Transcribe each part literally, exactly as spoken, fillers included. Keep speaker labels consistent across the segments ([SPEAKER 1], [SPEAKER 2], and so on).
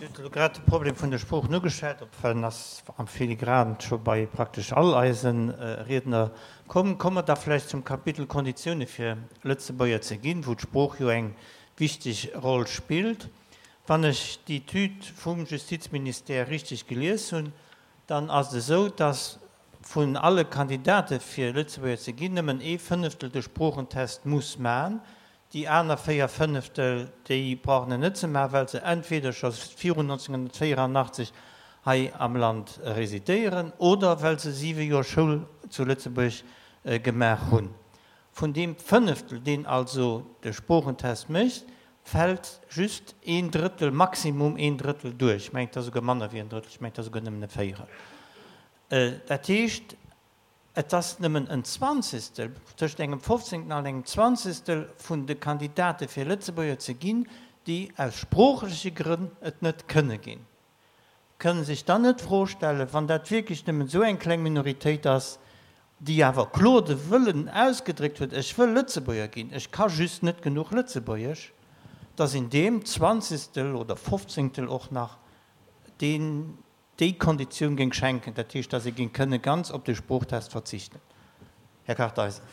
[SPEAKER 1] Dir hutt elo grad de Problem vun de Sproochen ugeschwat, obwuel en ass am Filigranen scho bei praktesch all eise Riedner komm. Komme mer da vläicht zum Kapitel Konditioune fir Lëtzebuerger ze ginn, wou d'Sprooch jo eng wichteg Roll spillt. Wann ech d'Etüd vum Justizministère richteg gelies hunn, dann ass et esou, dass vun alle Kandidate fir Lëtzebuerger ze ginn nëmmen ee Fënneftel de Sproochentest muss man. Déi aner véier Fënneftel, déi brauchen en net ze maachen, well se entweder scho virun nonzénghonnertvéierannachtzeg hei am Land residéieren oder well se siwe Joer Schoul zu Lëtzebuerg gemaach hunn. Vun deem Fënneftel, deen also de Sproochentest mécht, fält just een Drëttel, maximum een Drëttel duerch. Ech mengen, et ass esouguer manner wéi en Drëttel, ech mengen, et ass esouguer nëmmen e Véierel. Dat heescht, Et ass nëmmen en Zwanzigstel, tëscht engem Fofzéngten an engem Zwanzigstel vun de Kandidate fir Lëtzebuerger ze ginn, déi aus sproochleche Grënn et net kënne ginn. Kënne sech dann net d'Fro stellen, wann dat wierklech nëmmen esou eng kleng Minoritéit ass, déi awer kloer de Wëllen ausgedréckt huet, ech wëll Lëtzebuerger ginn, ech ka just net genuch Lëtzebuergesch, dass een deem Zwanzigstel oder Fofzéngtel och nach deen, déi Konditioun géing schenken, dat heescht, dass ee géing kënne ganz op de Sproochtest verzichten. Här Kartheiser.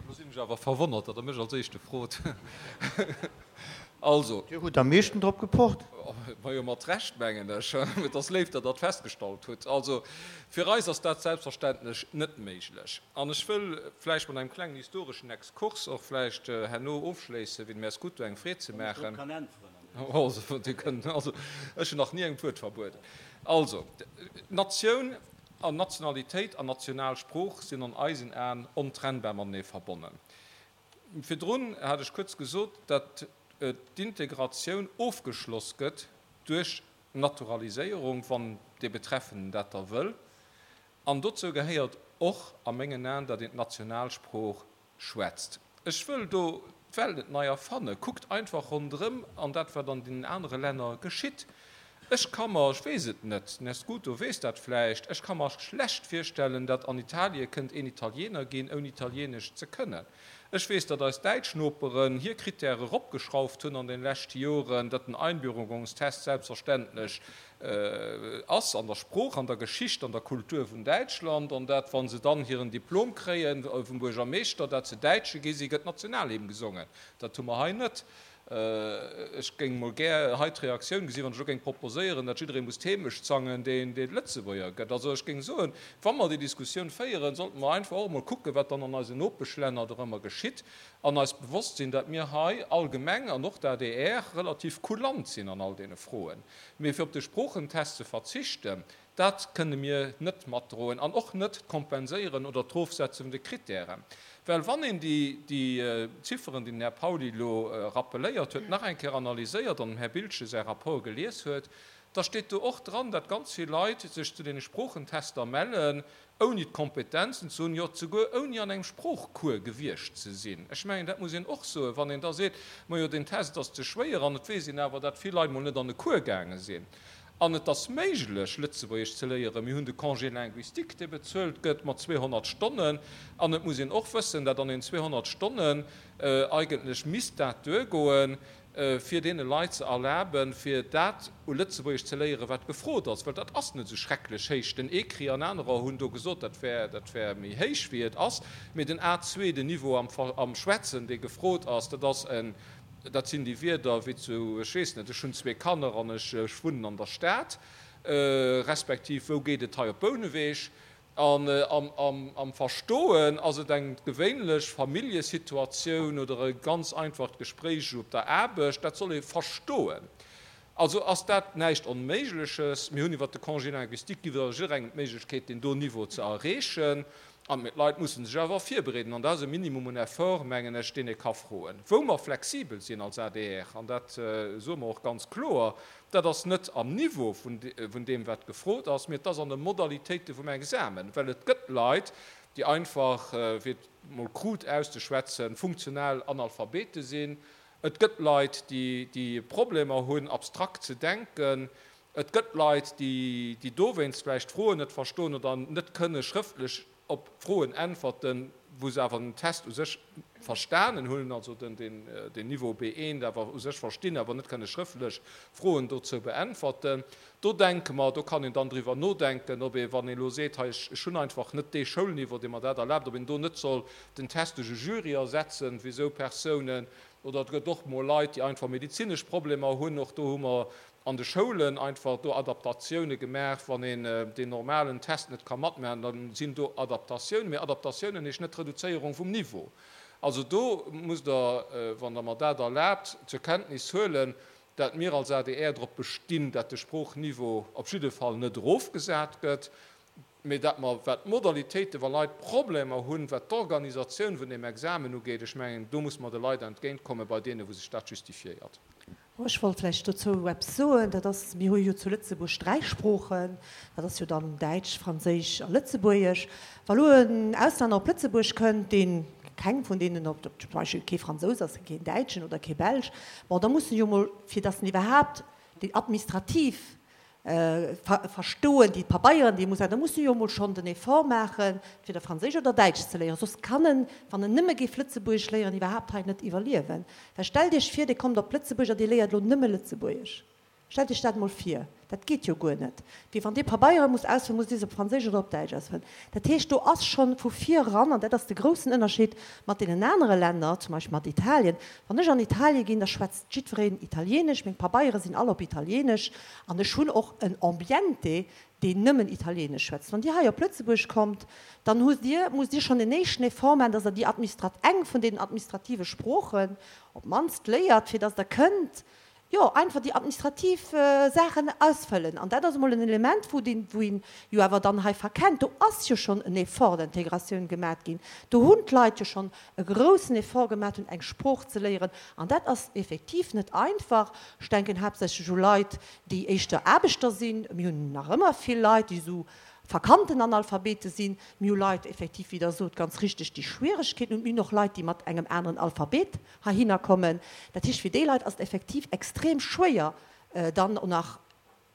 [SPEAKER 2] Elo sinn ech awer verwonnert, datt Der mech als Éischte frot. Also.
[SPEAKER 1] Dir hutt am meeschten drop gepocht.
[SPEAKER 2] Majo, mat Recht, mengen ech. Et ass léif, datt Der dat festgestallt hutt. Also, fir eis ass dat selbstverständlech net méiglech. An ech wëll vläicht mat engem klengen historeschen Exkurs och vläicht herno ofschléissen, fir dem Här Scuto eng Freed ze maachen.
[SPEAKER 3] Wann ech drop kann äntweren.
[SPEAKER 2] Also, ech hunn nach ni engem d'Wuert verbueden. Also, Natioun an Nationalitéit an national Sprooch sinn an eisen Aen ontrennbar matenee verbonnen. Virdrun hat ech kuerz gesot, datt d'Integratioun ofgeschloss gëtt duerch d'Naturaliséierung, wann dee Betreffenden dat da wëll. An dozou gehéiert och a mengen Aen, datt een d'Nationalsprooch schwätzt. Ech wëll do d'Welt net nei erfannen. Kuckt einfach ronderëm an dat, wat an deenen anere Länner geschitt. Ech ka mer, ech weess et net, den Här Scuto weess dat vläicht, ech ka mer schlecht virstellen, datt an Italie kënnt een Italiener ginn, ouni Italienesch ze kënnen. Ech weess, datt eis däitsch Noperen hir Krittäre eropgeschrauft hunn an de leschte Joren, datt den Einbürgerungstest selbstverständlech ass an der Sprooch, an der Geschicht, an der Kultur vun Däitschland, an dat, wa se dann hiren Diplom kréie vum Buergermeeschter, dat se Däitsche gi si, gëtt d'Nationalhymn gesongen. Dat hu mer hei net. Ech géing mol gär hei d'Reaktioun gesinn, wann ech elo géing proposéieren, dat jidderee muss d'Heemecht sangen, deen dee Lëtzebuerger gëtt. Also ech géing soen, wa mer déi Diskussioun féieren, sollte mer einfach och emol kucken, wat dann an eisen Nopeschlänner dorëmmer geschitt, an eis bewosst sinn, dat mir hei allgemeng, an och d'ADR, relativ kulant sinn an all deene Froen. Mee fir op de Sproochentest ze verzichten, dat kënne mir net matdroen an och net d'Kompenséieren oder d'Erofsetze vun de Krittären. Well wann een déi Zifferen, déi den Här Pauly elo rappeléiert huet, nach eng Kéier analyséiert an dem Här Biltgen säi Rapport gelies huet, da steet do och dran, datt ganz vill Leit sech zu deene Sproochentester mellen, ouni d'Kompetenzen ze hunn, jo souguer ouni an engem Sproochcours gewiescht ze sinn. Ech mengen, dat muss een och soen, wann een da seet, majo deen Test ass ze schwéier, an et weess een awer, datt vill Leit mol net an e Cours gaange sinn. An et ass méiglech, Lëtzebuergesch ze léieren. Mir hunn de Congé linguistique, dee bezuelt gëtt mat zweehonnert Stonnen. An et muss een och wëssen, datt an den zweehonnert Stonnen eigentlech misst dat duergoen, fir deene Leit ze erlaben, fir dat u Lëtzebuergesch ze léieren, wat gefrot ass, well dat ass net esou schrecklech héich. Den ECRI an anerer hunn do gesot, dat wär, dat wär méi héich, wéi et ass. Mee den A zwee, den Niveau am, am Schwätzen, dee gefrot ass, dat ass en, dat sinn déi Wierder wéi zu, ech weess net, ech hunn zwee Kanner an ech, ech wunnen an der Stad, respektiv wou geet et hei op Bouneweg. An am Verstoen ass et eng gewéinlech Familljesituatioun oder e ganz einfacht Gespréich op der Aarbecht, dat soll ee verstoen. Also ass dat näischt Onméigleches. Mir hunn iwwert de Congé linguistique gi wir jidderengem d'Méiglechkeet, deen do Niveau ze erreechen. An mee d'Leit musse sech awer virbereeden. An dat ass e Minimum un Effort, mengen ech, deen ee ka froen. Wou mer flexibel sinn als adr, an dat soe mer och ganz kloer, Dat ass net am Niveau vun deem, wat gefrot ass, mee et ass an de Modalitéite vum Examen. Well et gëtt Leit, déi einfach, fir et mol crude auszeschwätzen, funktional Analphabete sinn. Et gëtt Leit, déi Problemer hunn, abstrakt ze denken. Et gëtt Leit, déi dowéinst vläicht d'Froen net verstoen oder net kënne schrëftlech op Froen äntwerten, wou se awer den Test u sech verstanen hunn, also den, den, den Niveau B eent awer u sech verstinn, awer net kënne schrëftlech Froen dozou beäntwerten. Do denke mer, do kann een dann driwwer nodenken, ob ee, wann een elo seet, hei ech, ech hunn einfach net dee Schoulniveau, dee mer dat erlaabt, ob een do net soll den Test duerch e Jury ersetzen fir esou Persounen. Oder et gëtt och mol Leit, déi einfach medezinesch Problemer hunn. Och do hu mer an de Schoulen einfach do Adaptatioune gemaach. Wann een deen normalen Test net ka matmaachen, da sinn do Adaptatiounen. Mee Adaptatiounen heescht net Reduzéierung vum Niveau. Also do musst Der, wann Der mer dat erlaabt, zur Kenntnis huelen, dat mir als adr drop bestinn, dat de Sproochniveau op jidde Fall net erofgesat gëtt, mee dat mer, wat d'Modalitéiten, wa Leit Problemer hunn, wat d'Organisatioun vun deem Examen ugeet, ech mengen, do muss mer de Leit entgéintkommen, bei deene wou sech dat justifiéiert.
[SPEAKER 3] Ech wollt vläicht dozou eppes soen. Dat ass, mir hu jo zu Lëtzebuerg dräi Sproochen, dat ass jo dann Däitsch, Franséisch a Lëtzebuergesch. Wa lo en Auslänner op Lëtzebuerg kënnt, deen keng vun deenen, op, zum Beispill kee Fransous ass, keen Däitschen oder kee Belsch, bon, da muss en jo mol, fir datt en iwwerhaapt déi administrativ verstoen, déi Pabeieren, déi e muss, da muss e jo emol schonn den Effort maachen, fir da Franséisch oder Däitsch ze léieren, soss kann en, wann en nëmme géif Lëtzebuergesch léieren, iwwerhaapt hei net iwwerliewen. Well stellt Iech vir, Dir kommt op Lëtzebuerg a Dir léiert elo nëmme Lëtzebuergesch. Stellt Iech dat emol vir. Dat geet jo guer net. Wéi wann Dir Pabeiere musst ausfëllen, musst Dir se op Franséisch oder op Däitsch ausfëllen. Dat heescht, do ass schonn vu vir eran, an dat ass de groussen Ënnerscheed mat deenen anere Länner, zum Beispill mat Italien, wann ech an Italie ginn, da schwätzt jiddwereen Italienesch, meng Pabeiere sinn all op Italienesch an ech hunn och en Ambiente, deen nëmmen Italienesch schwätzt. Wann Dir hei op Lëtzebuerg kommt, dann hutt Dir, musst Dir schonn en éischten Effort maachen, dass Der déi administrat, eng vun deenen administrative Sproochen op d'mannst léiert, fir dass Der kënnt, jo, einfach déi administrativ Saachen ausfëllen. An dat ass emol en Element, wou deen, wou een jo awer dann hei verkennt, do ass jo schonn en Effort d'intégratioun gemat ginn, do hunn d'Leit jo schonn e groussen Effort gemat hunn, eng Sprooch ze léieren. An dat ass effektiv net einfach. Ech denken haaptsächlech u Leit, déi éischter Aarbechter sinn. Mir hunn nach ëmmer vill Leit, déi esou verkannten Analphabete sinn. Mir hu Leit effektiv, wéi Der sot, ganz richteg, déi Schwieregkeeten hunn. Mir hunn och Leit, déi mat engem aneren Alphabet heihinner kommen. Dat heescht, fir déi Leit ass et effektiv extrem schwéier, dann och nach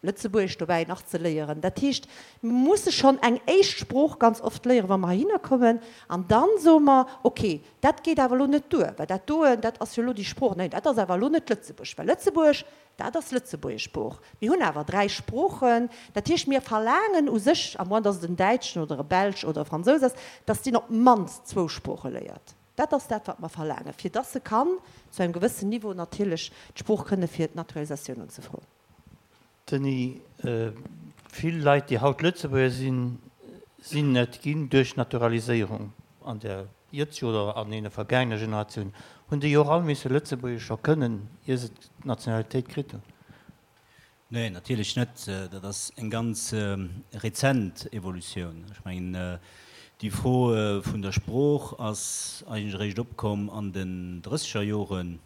[SPEAKER 3] Lëtzebuergesch dobäi nach ze léieren. Dat heescht, mir musse schonn eng éischt Sprooch ganz oft léieren, wa mer heihinner kommen. An dann soe mer, okay, dat geet awer elo net duer, well dat doen, dat ass jo elo déi Sprooch. Neen, dat ass awer elo net Lëtzebuerg, well Lëtzebuerg, Dat ass Lëtzebuergesch Sprooch. Mir hunn awer dräi Sproochen. Dat heescht, mir verlaangen u sech, à moins dass et en Däitschen oder e Belsch oder e Fransous ass, dass deen op d'mannst zwou Sprooche léiert. Dat ass dat, wat mer verlaangen, fir dass e kann zu engem gewëssen Niveau natierlech d'Sprooch kënne fir d'Naturalisatioun unzefroen.
[SPEAKER 1] Denis, vill Leit, déi haut Lëtzebuerger sinn, sinn et ginn duerch Naturaliséierung an der jëtzeg oder an deene vergaangene Generatiounen. Hunn déi och all misse Lëtzebuergesch scho kënnen, ier se d'Nationalitéit kritt hunn?
[SPEAKER 4] Nee, natierlech net. Dat ass eng ganz rezent Evolutioun. Ech mengen, déi Fro vun der Sprooch ass eigentlech eréischt opkomm an den drësseger Joren,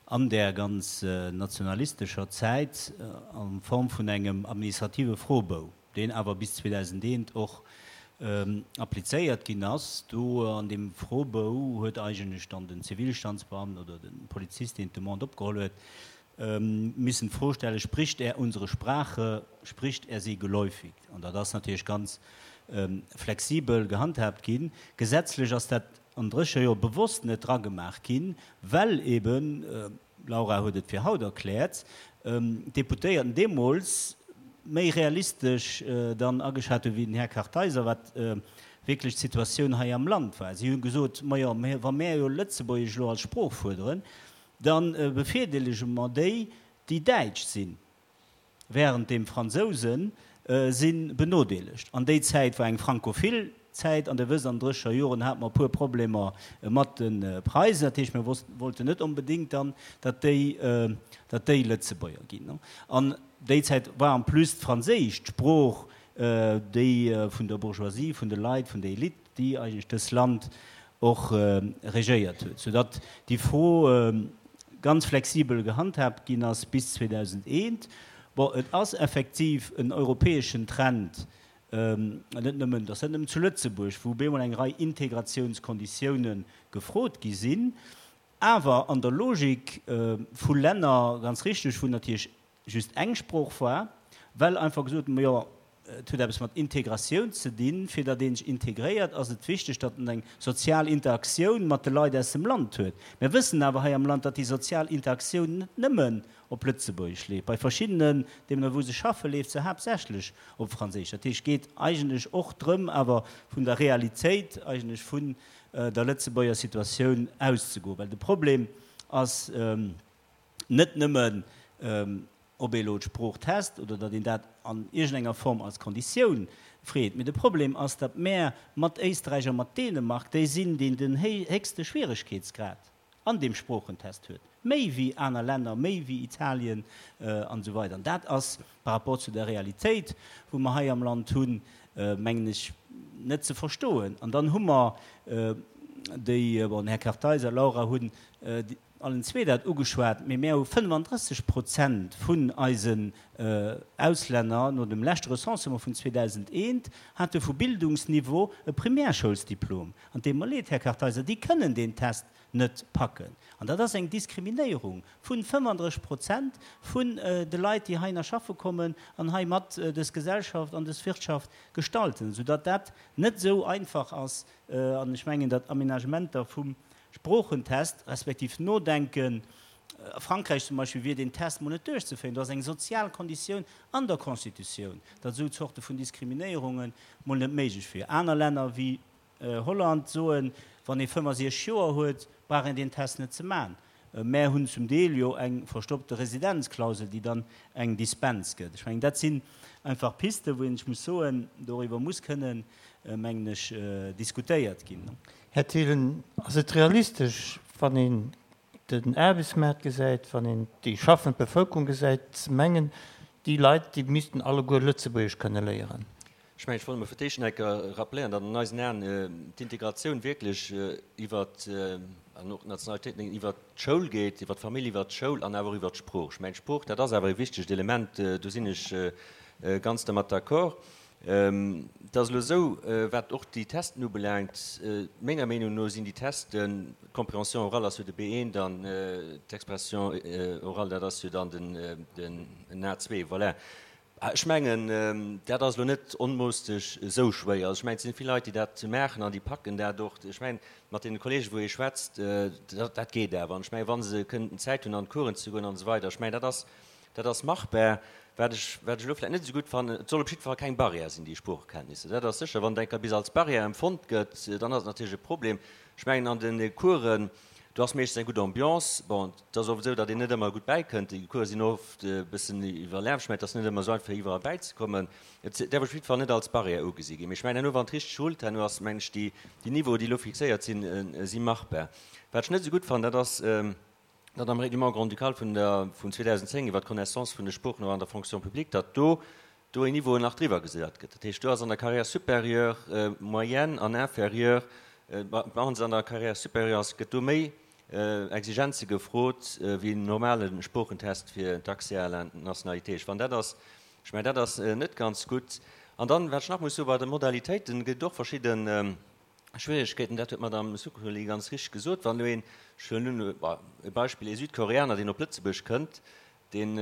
[SPEAKER 4] an där ganz nationalistescher Zäit, a Form vun engem administrative Froebou, deen awer bis zweedausendeent och applizéiert ginn ass. Do an deem Froebou huet eigentlech dann den Zivilstandsbeamten oder de Polizist, deen d'Demande opgeholl huet, missen d'Fro stellen, Spricht er unsere Sprache, spricht er sie geläufig? An dat ass natierlech ganz flexibel gehandhaabt ginn. Gesetzlech ass dat an drécher Joer bewosst net dragemaach ginn, well eben, d'Laura huet et fir haut erkläert, d'Deputéierten deemools méi realistesch dann ageschat hunn, wéi den Här Kartheiser, wat wierklech d'Situatioun hei am Land war. Si hu gesot, Majo, wa mär jo Lëtzebuergesch elo als Sprooch fuerderen, da bevirdeelege mer déi, déi Däitsch sinn. Während deem Fransousen si benodeelegt. An déi Zäit war eng frankophil Zäit, an Der wësst, an drécher Joren hate mer e puer Problemer mat de Preisen. Dat heescht, mir wollten net onbedéngt dann, datt déi, datt déi Lëtzebuerger ginn. An déi Zäit war en plus d'Franséisch d'Sprooch, déi vun der Bourgeoisie, vun de Leit, vun der Elite, déi eigentlech dës Land och regéiert huet, soudatt déi Fro ganz flexibel gehandhaabt ginn ass bis zweedausendeent. Bon, et ass effektiv en europäeschen Trend, net nëmmen, et ass net nëmmen zu Lëtzebuerg, wou bemol eng Rei Integrationskonditiounen gefrot gi sinn, awer an der Logik vu Länner, ganz richtig, wou natierlech just eng Sprooch war, well einfach gesot, majo, Et huet eppes mat Integratioun ze dinn. Fir datt een sech integréiert, ass et wichteg, datt en eng sozial Interaktioun mat de Leit aus dem Land huet. Mir wëssen awer hei am Land, datt déi sozial Interaktioun net nëmmen op Lëtzebuergesch leeft. Bei verschiddenen, deemno wou se schaffen, leeft se haaptsächlech op Franséisch. Dat heescht, et geet eigentlech och drëm, awer vun der Realitéit eigentlech vun der Lëtzebuerger Situatioun auszegoen. Well de Problem ass net nëmmen, ob ee elo d'Sprooch test oder datt een dat an iergendenger Form als Konditioun freet, mee de Problem ass, datt mär mat Éisträich a mat Dänemark déi sinn, déi den héchste Schwieregkeetsgrad an deem Sproochentest huet, méi wéi aner Länner, méi wéi Italien an esou weider. An dat ass par rapport zu der Realitéit, wou mer hei am Land hunn, mengen ech, net ze verstoen. An dann hu mer déi, bon, den Här Kartheiser, Laura, hunn allen zwee dat ugeschwat, mee mär hu fënnefandrësseg Prozent vun eisen Auslänner, no dem leschte Recensement vun zweedausendeent, hate vu Bildungsniveau e Primärschoulsdiplom. An et deet mer leed, Här Kartheiser, déi kënnen deen Test net packen. An dat ass eng Diskriminéierung vu fënnefandrësseg Prozent vun de Leit, déi heihinner schaffe kommen an hei mat dës Gesellschaft an dës Wirtschaft gestalten, soudatt dat net esou einfach ass. An ech mengen, datt Aménagementer vum Sproochentest, respektiv Nodenken, a Frankräich zum Beispill wier deen Test mol net duerchzeféieren, do ass eng sozial Konditioun an der Constitutioun, datt esou Zorte vun Diskriminéierunge mol net méiglech wier. Aner Länner wéi Holland soen, wann ee fënnfasiechzeg Joer huet, brauch een deen Test net ze man. Mär hunn zum Deel jo eng verstoppte Residenzklausel, déi dann eng Dispens gëtt. Ech mengen, dat sinn einfach Pisten, wou een, ech muss soen, doriwwer muss kënnen, mengen ech, diskutéiert ginn.
[SPEAKER 1] Här Thielen, ass et realistesch, wann een den Aarbechtsmaart gesäit, wann een déi schaffend Bevëlkerung gesäit, ze mengen, déi Leit, déi missten alleguer Lëtzebuergesch kënne léieren?
[SPEAKER 5] Ech mengen, ech wollt emol fir d'éischt nach eng Kéier rappeléieren, datt an eisen Aen d'Integratioun wierklech iwwert, an och d'Nationalitéit, iwwert d'Schoul geet, iwwert d'Famill, iwwert d'Schoul an awer och iwwert d'Sprooch. Ech mengen, d'Sprooch, dat ass awer e wichtegt Element, do sinn ech ganz dermat d'accord. Et ass elo esou, wat och déi Testen ubelaangt, menger Meenung no sinn déi Testen, d'Compréhension orale ass jo de B eent an d'Expression orale, dat ass jo dann den A zwee, voilà. Ech mengen, dat ass elo net onmoosteg esou schwéier. Also ech mengen, et sinn vill Leit, déi dat maachen an déi packen dat och. Ech mengen, mat deene Kollegen, wou ee schwätzt, dat geet awer. An ech mengen, wa se kënnten Zäit hunn, an d'Coursen ze goen an esou weider, ech mengen, dat ass, dat ass machbar. Wat ech, wat ech elo vläicht net esou gutt fannen, et soll op jidde Fall keng Barrière sinn, déi Sproochekenntnisser. Dat ass sécher. Wann et eng Kéier bis als Barrière empfonnt gëtt, dann ass et natierlech e Problem. Ech mengen, an de Coursen, do ass meeschtens eng gutt Ambiance. Bon, et ass oft esou, datt een net ëmmer gutt bäikënnt. Déi Course sinn oft e bëssen iwwerlaf. Ech mengen, et ass net ëmmer esou einfach, iwwerall bäizekommen. Et däerf op jidde Fall net als Barrière ugesi ginn. Mee ech mengen, herno, wann et richteg rullt, herno ass, mengen ech, déi, déi Niveaue, déi elo fixéiert sinn, si machbar. Wat ech net esou gutt fannen, dat ass, datt am Règlement grand-ducal vun der, vun zweedausendzéng iwwert d'Connaissance vun de Sproochen och an der Fonction publique, datt do do een Niveau nach driwwer gesat gëtt. Dat heescht, do ass an der Carrière supérieure, moyenne an inférieure, maachen se an der Carrière supérieure ass, gëtt do méi Exigenze gefrot wéi en normale Sproochentest fir d'Accès à la nationalité. Ech fannen, dat ass, ech mengen, dat ass net ganz gutt. An dann, wat ech nach muss soen, bei de Modalitéiten gëtt et och verschidden Schwieregkeeten, dat huet d'Madame Zuccoli ganz richteg gesot, wann elo een, ech huelen elo e Beispill, ee Südkoreaner, deen op Lëtzebuerg kënnt, deen,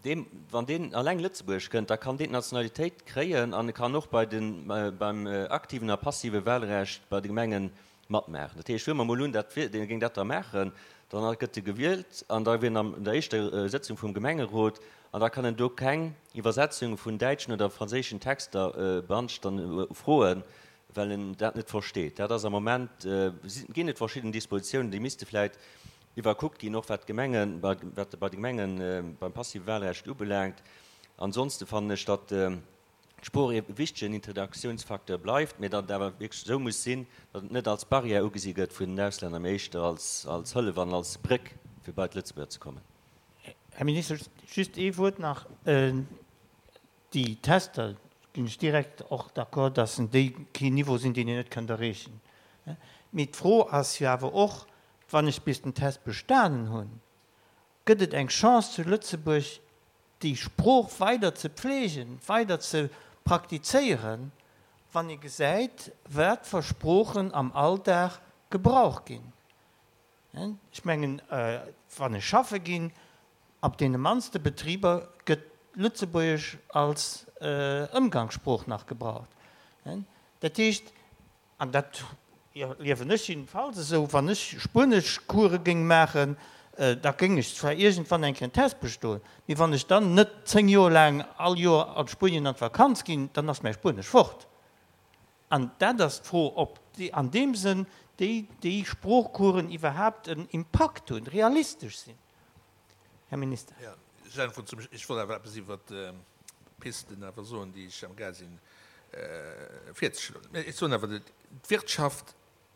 [SPEAKER 5] deem, wann deen alleng Lëtzebuerg kënnt, da kann deen d'Nationalitéit kréien an e kann och bei den, beim aktiven a passive Wahlrecht bei de Gemenge matmaachen. Dat heescht, huele mer emol un, dat wier, dee géing dat da maachen, dann gëtt e gewielt an da wier en an der éischter Sëtzung vum Gemengerot an da kann en do keng Iwwersetzung vun däitschen oder franséischen Texter beanstanden, froen, well en dat net versteet. Dat ass am Moment, ginn et verschidden Dispositiounen, déi misste vläicht iwwerkuckt ginn, och wat d'Gemengen, wat bei de Gemengen beim passive Wahlrecht ubelaangt. Ansonste fannen ech, datt d'Sprooch e wichtegen Interdaktiounsfacteur bleift, mä datt et awer wierklech esou muss sinn, datt et net als Barrière ugesi gëtt vun den Auslänner, mä éischter als als Hëllef an als Bréck, fir bei d'Lëtzebuerger ze kommen.
[SPEAKER 1] Här Minister, just ee Wuert nach. Déi Tester, ginn ech direkt och d'accord, dass en déi keen Niveau sinn, deen een net kënnt erreechen. Mee d'Fro ass jo awer och, wann ech bis den Test bestanen hunn, gëtt et eng Chance zu Lëtzebuerg, déi Sprooch weider ze pflegen, weider ze praktizéieren, wann ee gesäit, wat fir Sproochen am Alldag gebraucht ginn. Ech mengen, wann ech schaffe ginn, op deene mannste Betriber gëtt Lëtzebuergesch als Ëmgangssprooch nach gebraucht. Dat heescht, an dat erliewen ech jiddefalls esou, wann ech Spueneschcourse géing maachen, da géing ech zwar iergendwann eng Kéier en Test bestoen, mee wann ech dann net zéng Joer laang all Joer an Spuenien an d'Vakanz ginn, dann ass mäi Spuenesch fort. An dat ass d'Fro, ob an deem Sënn déi, déi Sproochcoursen iwwerhaapt en Impakt hunn, realistesch sinn. Här Minister.
[SPEAKER 6] Jo, ech äntweren zum, ech wollt awer eppes iwwert d'Pisten awer soen, déi ech am Gaang sinn virzeschloen. Mä ech soen awer, d'Wirtschaft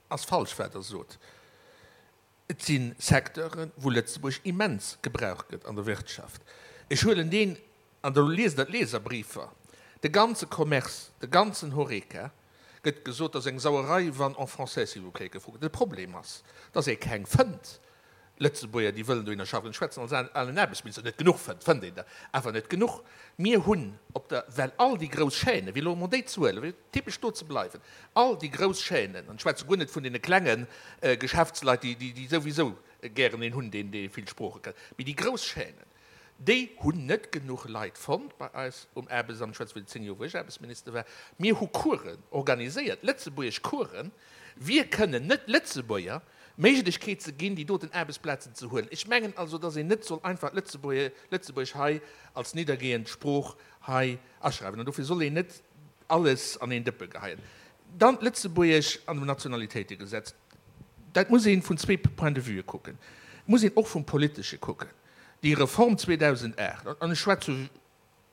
[SPEAKER 6] ass falsch, wat Der sot. Et si Secteuren, wou Lëtzebuerg immens gebraucht gëtt an der Wirtschaft. Ech huelen deen, an do liest Der d'Leserbriefer, de ganze Commerce, de ganzen Horeca, gëtt gesot, dat ass eng Sauerei, wann en français, s'il vous plaît, gefrot gëtt. De Problem ass, dass ee keng fënnt. Lëtzebuerger, déi wëllen dohinner schaffen, ech schwätzen als alen Aarbechtsminister, net genuch fënnt, fënnt een der awer net genuch. Mir hunn op der, well all déi grouss Chaînen, fir elo emol déi ze huelen, fir typesch do ze bleiwen, all déi grouss Chaînen, an ech schwätze guer net vun deene klenge Geschäftsleit, déi, déi souwisou gären een hunn, deen, dee vill Sprooche kann, mee déi grouss Chaînen, déi hunn net genuch Leit fonnt bei eis um Aarbechtsamt, ech schwätze vun den zéng Joer, wou ech Aarbechtsminister war. Mir hu Coursen organiséiert, lëtzebuergesch Coursen, wir kënnen net Lëtzebuerger d'Méiglechkeet ze ginn, déi doten Aarbechtsplazen ze huelen. Ech mengen also, dass een net soll einfach d'Lëtzebuergesch hei als niddergehend Sprooch hei aschreiwen. An dofir soll een net alles an een Dëppe geheien. Dann d'Lëtzebuergesch an dem Nationalitéitegesetz. Dat muss ee vun zwee Point-de-vuë kucken. Et muss een och vum Politesche kucken. Déi Reform zweedausendacht, an ech schwätze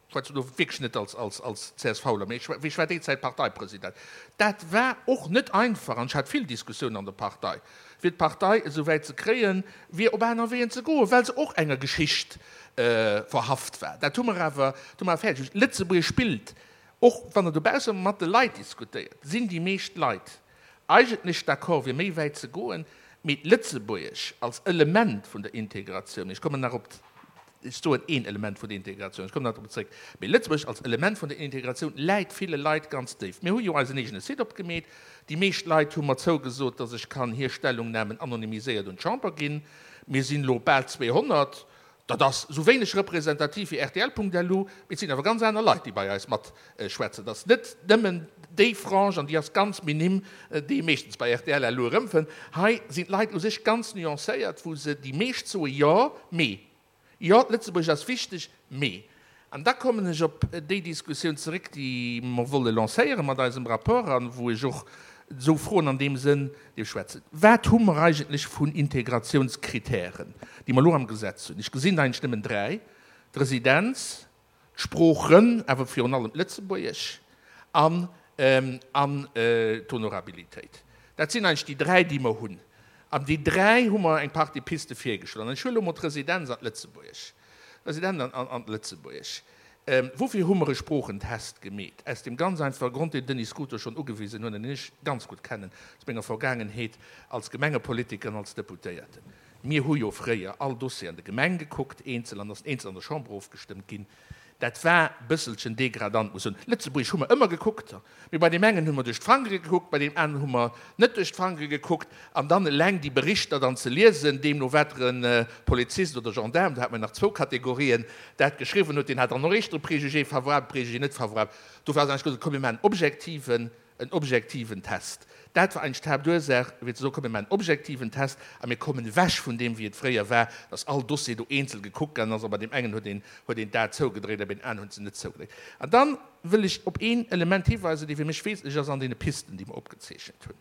[SPEAKER 6] schwätzen do wierklech net als, als, als CSVler, mee ech war déi Zäit Parteipresident, dat war och net einfach an ech hat vill Diskussiounen an der Partei, fir d'Partei esou wäit ze kréien, fir op aner Weeën ze goen, well se och enger Geschicht verhaft war. Dat hu mer awer, dat hu mer awer fäerdeg bruecht. Lëtzebuerg spillt, och wann Der dobausse mat de Leit diskutéiert, sinn déi meescht Leit eigentlech d'accord, fir méi wäit ze goen, mee d'Lëtzebuergesch als Element vun der Integratioun, ech kommen nach op Ech soen een Element vun der Integratioun, ech kommen nach drop zréck, mee Lëtzebuerg als Element vun der Integratioun läit ville Leit ganz déif. Mir hu jo eisen eegene Site opgemeet. Déi meescht Leit hu mer zougesot, datt ech kann hir Stellungnamen anonymiséiert un d'Chamber ginn. Mir sinn elo bal zweehonnert. Dat ass esou wéineg representativ wéi rtl.lu, mee et sinn awer ganz aner Leit, déi bei eis matschwätzen. Et ass net nëmmen déi Frange, an déi ass ganz minim, déi ee meeschtens bei rtl.lu erëmfënnt. Hei sinn d'Leit u sech ganz nuancéiert, wou se déi meescht soe jo, mee. Jo, d'Lëtzebuergesch ass wichteg, mee, an da kommen ech op déi Diskussioun zeréck, déi mer wolle lancéiere mat eisem Rapport an wou ech och esou Froen an deem Sënn dierf schwätzen, Wat hu mer eigentlech vun Integrationskritären, déi mer elo am Gesetz hunn? Ech gesinn der eigentlech nëmmen dräi, d'Residenz, d'Sproochen, awer virun allem d'Lëtzebuergesch, an an d'Honorabilitéit. Dat sinn eigentlech déi dräi, déi mer hunn. An déi dräi hu mer eng Partie Piste virgeschloen. An ech huele elo mol d'Residenz an d'Lëtzebuergesch. D'Residenz an d'Lëtzebuergesch. Woufir hu mer e Sproochentest gemeet? Aus deem ganz einfache Grond, deen den Denis Scuto schonn ugewisen huet an deen ech ganz gutt kennen aus menger Vergaangenheet als Gemengepolitiker an als Deputéierten. Mir hu jo fréier all Dossier an der Gemeng gekuckt, eenzel, an ass eenzel an der Chamber ofgestëmmt ginn. Dat war e bësselchen degradant, muss ech soen. Lëtzebuergesch hu mer ëmmer gekuckt, mee bei deem engen hu mer duerch d'Fangere gekuckt, bei deem aneren hu mer net duerch d'Fangere gekuckt. An dann eleng déi Berichter dann ze liesen, deemno wat e Polizist oder Gendaarm, do hat mer nach zwou Kategorien, dat geschriwwen huet, deen hat dann och éischter e Préjugé favorabel, Préjugé net favorabel. Dofir ass eigentlech gesot, komm mir maachen en objektiven, en objektiven Test. Dat war eigentlech d'Haaptursaach, fir ze soen, komm mir maachen en objektiven Test a mir kommen ewech vun deem, wéi et fréier war, dass all Dossier do eenzel gekuckt ginn ass a bei deem engen huet een, huet een d'A zougedréit a bei deem aneren huet se net zougedréit. An da wëll ech op een Element hiweisen, dee fir mech wesentlech ass an deene Pisten, déi mer opgezeechent hunn.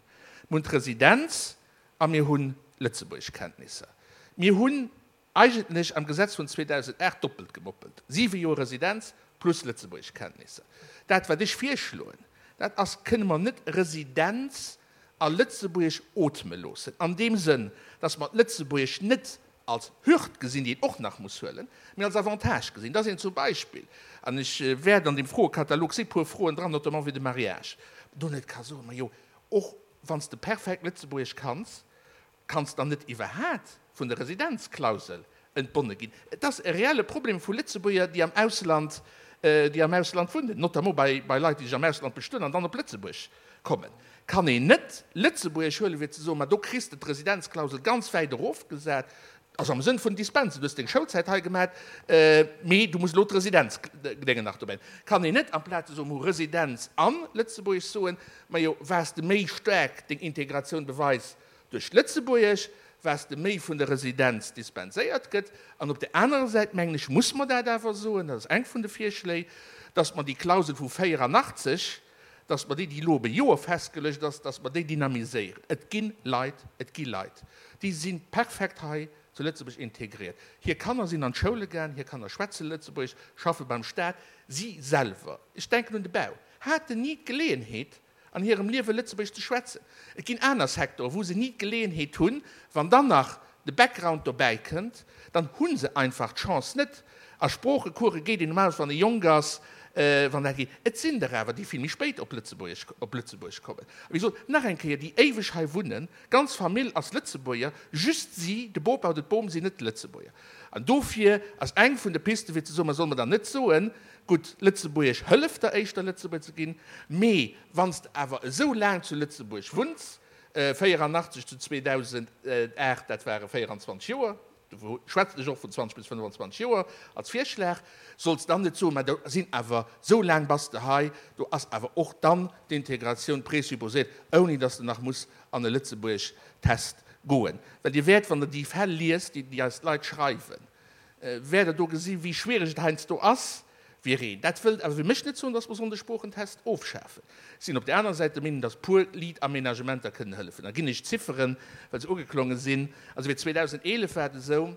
[SPEAKER 6] Mir hunn d'Residenz a mir hunn Lëtzebuergeschkenntnisser. Mir hunn eigentlech am Gesetz vun zweedausendacht doppelt gemoppelt, siwe Joer Residenz plus Lëtzebuergeschkenntnisser. Dat, wat ech virschloen, dat ass, kënne mer net Residenz a Lëtzebuergesch ootme loossen, an deem Sënn, dass mer d'Lëtzebuergesch net als Hürd gesinn, déi een och nach muss huelen, mee als Avantage gesinn, dass een zum Beispill, an ech wäert an deem Froekatalog si puer Froen dran, notamment wéi de Mariage, do net ka soen, majo, och wann s de perfekt Lëtzebuergesch kanns, kanns dann net iwwerhaat vun der Residenzklausel entbonne ginn. Et ass e reelle Problem vu Lëtzebuerger, déi am Ausland, déi am Ausland wunnen, notamment bei, bei Leit, déi sech am Ausland bestueden an dann op Lëtzebuerg kommen. Kann een net Lëtzebuergesch huelen, fir ze soen, ma do kriss de d'Residenzklausel ganz wäit erofgesat. Also am Sënn vun Dispense, du hues deng Schoulzäit hei gemat, mee du muss elo d'Residenzdéngen nach dobäi. Kann een net amplaz ze soen, mer hu Residenz an Lëtzebuergesch soen, majo, wat s de méi staark deng Integratioun beweis duerch d'Lëtzebuergesch, wat s de méi vun der Residenz dispenséiert gëtt. An op där anerer Säit, mengen ech, muss mer dat awer soen, dat ass eng vun de Virschléi, dass mer déi Klausel vu véierannachtzeg, dass mer déi, déi elo op e Joer festgeluecht ass, dass mer déi dynamiséieren. Et gi Leit, et gi Leit, déi si perfekt hei zu Lëtzebuerg integriert. Hir Kanner sinn an d'Schoule gaang, hir Kanner schwätze Lëtzebuergesch, schaffe beim Staat. Si selwer, ech denken un de Bau, haten ni d'Geleeënheet an hirem Liewe Lëtzebuergesch ze schwätzen. Et ginn aner Secteuren, wou se ni d'Geleeënheet hunn. Wann dann nach de Background dobäi kënnt, dann hu se einfach d'Chance net. A Sproochecourse geet een normalerweis, wann ee jonk ass, wann dat geet. Et sinn der awer, déi vill méi spéit op Lëtzebuerg, op Lëtzebuerg kommen. A wéi gesot, nach eng Kéier, déi éiweg hei wunnen, d'ganz Famill ass Lëtzebuerger, just si, de Bopa oder d'Bom, sinn net Lëtzebuerger. An dofir ass eng vun de Pisten, fir ze soen, ma solle mer dann net soen, gutt, Lëtzebuergesch hëlleft der éischter Lëtzebuerger ze ginn, mee wann s de awer esou laang zu Lëtzebuerg wunns, véierannachtzeg zu zweedausendacht, dat ware véieranzwanzeg Joer, do schwätzen ech och vun zwanzeg bis fënnfanzwanzeg Joer als Virschlag, solls dann net soen, mä do sinn awer, esou laang bass de hei, do ass awer och dann d'Integratioun présupposéiert, ouni dass de nach muss an e Lëtzebuergesch-Test goen. Well Dir wäert, wann Der déi Fäll liest, déi eis d'Leit schreiwen, wäert Der do gesinn, wéi schwiereg et heiansdo ass, Wier een dat wëllt awer fir mech net soen, dass mer sollen de Sproochentest ofschafen. Ech sinn op där anerer Säit der Meenung, dass puer liit Aménagementer kënnen hëllefen. Da ginn ech Zifferen, well se ugeklonge sinn. Also fir zweedausendeelef war et esou,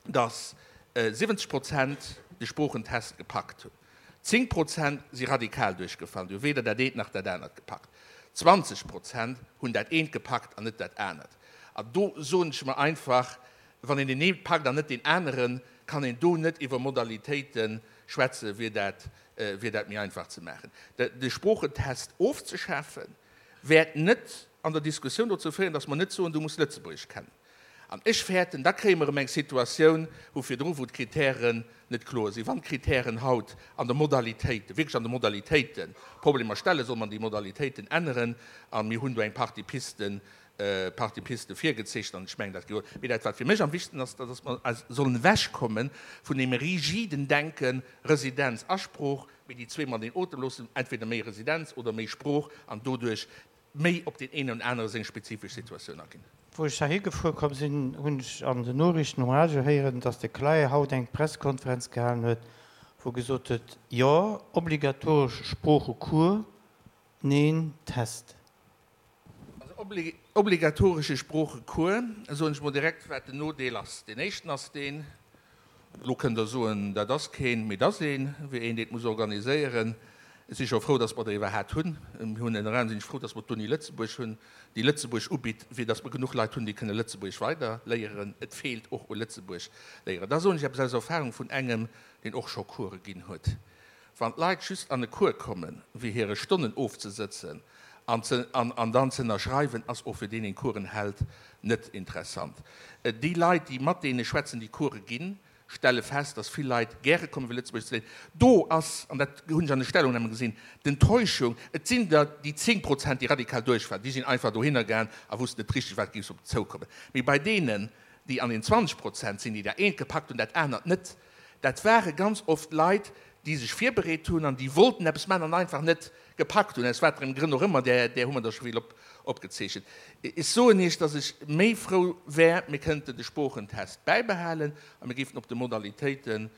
[SPEAKER 6] dass siwwenzeg Prozent de Sproochentest gepackt hunn. Zéng Prozent si radikal duerchgefall, déi hu weder dat eent nach dat anert gepackt. Zwanzeg Prozent hunn dat eent gepackt an net dat anert. An do soen ech mer einfach, wann een deen ee packt an net deen aneren, kann een do net iwwer Modalitéite schwätzen, wier dat, wier dat méi einfach ze maachen. De Sproochentest ofzeschafen, wäert net an der Diskussioun dozou féieren, datt mer net soen, du muss Lëtzebuergesch kennen. An ech fäerten, da kréie mer erëm eng Situatioun wou virdru, wou d'Kritären net kloer sinn. Wann d'Kritären haut an de Modalitéiten, wierklech an de Modalitéiten Problemer stellen, soll mer déi Modalitéiten änneren. A mir hunn do eng Partie Pisten, Partie Piste virgezeechent an ech mengen, dat gehuet. Mee dat, wat fir mech am wichtegsten ass, dat ass, dass mer sollen ewechkomme vun deem rigiden Denken, Residenz a Sprooch, mee déi zwee mateneen otem loossen, entweder méi Residenz oder méi Sprooch an doduerch méi op deen een an anere seng spezifesch Situatioun aginn.
[SPEAKER 1] Wou ech heihi gefuer komm sinn, hunn ech an den Noriichten um Radio héieren, dass de Clae haut eng Presskonferenz gehalen huet, wou gesot huet, Jo, obligatoresch Sproochecours, neen, Test.
[SPEAKER 6] Also obligatoresche Sproochecours, soen ech mol direkt, wat den Nodeel ass. Deen éischten ass deen, elo kënnt Der soen, dat ass keen, mee et ass een, wéi een, deen et muss organiséieren. Ech si scho frou, datt mer der iwwerhaat hunn. Mir hunn ënner anerem sinn ech frou, datt mer d'Uni Lëtzebuerg hunn, déi Lëtzebuerg ubitt, fir datt mer genuch Leit hunn, déi kënne Lëtzebuergesch weider léieren. Et feelt och u Lëtzebuerg Léierer. Da soen ech eppes aus Erfahrung vun engem, deen och scho Course ginn huet. Wann d'Leit just an e Cours kommen, fir hire Stonnen ofzesëtzen an ze an dann ze ënnerschreiwen, ass och fir deen, deen d'Coursen hält, net interessant. Déi Leit, déi mat deene schwätzen, déi Course ginn, stelle fest, dass vill Leit gäre kommen, fir Lëtzebuergesch ze léieren. Do ass, an dat hunn ech an de Stellungnamen gesinn, d'Enttäuschung, et sinn der déi zéng Prozent, déi radikal duerchfalen, déi sinn einfach dohinner gaang a wussten net richteg, wat géif op se zoukommen. Mee bei deenen, déi an den zwanzeg Prozent sinn, déi dat eent gepackt hunn, dat anert net, dat ware ganz oft Leit, déi sech virbereet hunn an déi wollten eppes maachen an einfach net gepackt hunn, aus waterem Grënn och ëmmer, där där hu mer der scho vill opgezeechent. Ech soen Iech, datt ech méi frou wär, mir kënnten de Sproochentest bäibehalen a mir géifen op de Modalitéite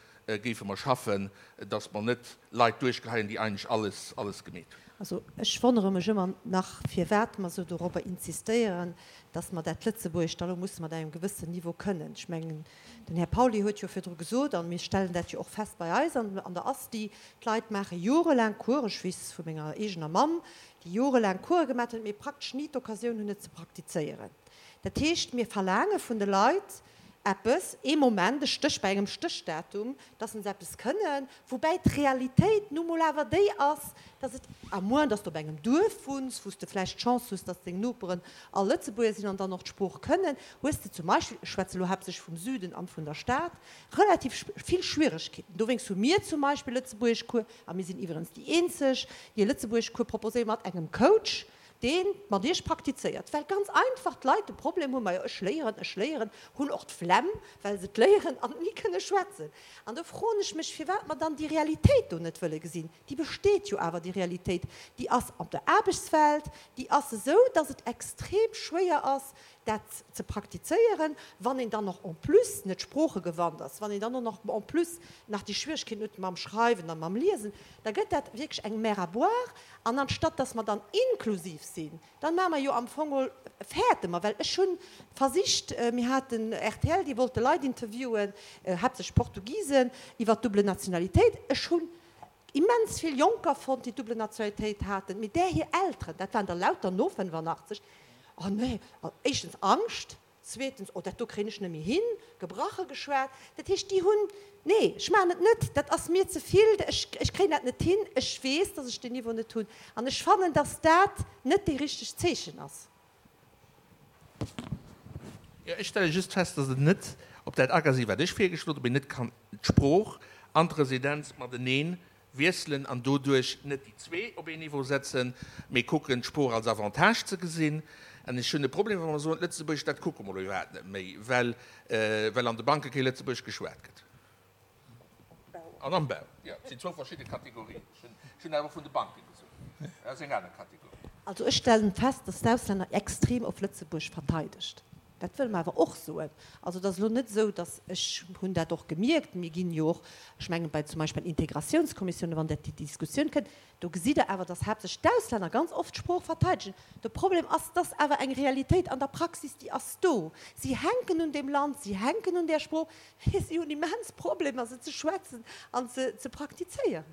[SPEAKER 6] géife mer schaffen, datt mer net Leit duerchgeheien, déi eigentlech alles alles gemeet hunn.
[SPEAKER 3] Also ech wonnere mech ëmmer nach, firwat mer esou dorobber insistéieren, dass mer dat Lëtzebuergescht da lo musse mat engem gewëssen Niveau kënnen. Ech mengen, den Här Pauly huet jo virdru gesot, a mir stellen dat jo och fest bei eis an der ASTI, d'Leit maache jorelaang Coursen, ech weess vu menger eegener Mamm, déi jorelaang Course gemaat huet, mee praktesch ni d'Occasioun hunn, et ze praktizéieren. Dat heescht, mir verlaange vun de Leit eppes, ee Moment, e Stéch bei engem Stéchdatum, dass se eppes kënnen, woubäi d'Realitéit nu mol awer déi ass, dass et, à moins dass de op engem Duerf wunns, wou s de vläicht d'Chance hues, dass deng Noperen all Lëtzebuerger sinn an dann och d'Sprooch kënnen, hues de zum Beispill, ech schwätze lo haaptsächlech vum Süden an vun der Stad, relativ vill Schwieregkeeten. Dowéinst hu mir zum Beispill Lëtzebuergeschcours, a mir sinn iwwerens déi eenzeg, déi e Lëtzebuergeschcours proposéieren, mat engem Coach, dee mat Iech praktizéiert, well ganz einfach d'Leit de Problem hunn, majo ech léieren, ech léieren, hunn och d'Flemm, well se et léieren an ni kënne schwätzen. An do froen ech mech, firwat mer dann déi Realitéit do net wëlle gesinn. Déi besteet jo awer, déi Realitéit, déi ass op der Aarbechtswelt, déi ass esou, dass et extrem schwéier ass, dat ze praktizéieren, wann een dann och en plus net sproochegewannt ass, wann een dann och nach en plus nach déi Schwieregkeeten huet mam Schreiwen a mam Liesen, da gëtt dat wierklech eng Mer à boire. An anstatt dass mer dann inklusiv sinn, dann maache mer jo am Fong geholl, fäerte mer, well ech hu versicht, mir haten rtl, déi wollte Leit interviewen, haaptsächlech Portugisen, iwwert d'double Nationalitéit. Ech hunn immens vill Jonker fonnt, déi d'double Nationalitéit haten, mee där hir Elteren, dat waren der lauter no fënnefannachtzeg, Oh nee, éischtens Angscht, zweetens, oh dat do kréien ech net méi hin, gebrache geschwat. Dat heescht, déi hunn, nee, ech maachen et net, dat ass mir ze vill, ech, ech kréien dat net hin, ech weess, datt ech deen Niveau net hunn. An ech fannen, datt dat net déi richteg Zeechen ass.
[SPEAKER 6] Jo, ech stelle just fest, datt et net op dat aga si wat ech virgeschloen hunn, ob een net kann d'Sprooch an d'Residenz matenee wiesselen an doduerch net déi zwee op een Niveau setzen, mee kucken, d'Sprooch als Avantage ze gesinn. An ech hunn e Problem, wa mer soen, d'Lëtzebuergescht, dat kucke mer elo iwwerhaapt net méi, well, well an de Banke kee Lëtzebuergesch geschwat gëtt. An am Bau, jo, et sinn zwou verschidde Kategorien. Ech hunn awer vun de Banke gesot, dat ass eng aner Kategorie.
[SPEAKER 3] Also ech stellen fest, dass d'Auslänner extrem op Lëtzebuerg verteidegt. Dat wëlle mer awer och soen. Also et ass elo net esou, dass, ech hunn dat och gemierkt, mir ginn jo och, ech mengen bei zum Beispill bei den Integratiounskommissiounen, wann dat déi Diskussioun kënnt, do gesitt Der awer, dass haaptsächlech d'Auslänner ganz oft d'Sprooch verteidegen. De Problem ass, dass awer eng Realitéit an der Praxis, déi ass do. Si hänken un deem Land, si hänken un där Sprooch, mee si hunn immens Problemer se ze schwätzen an ze ze praktizéieren.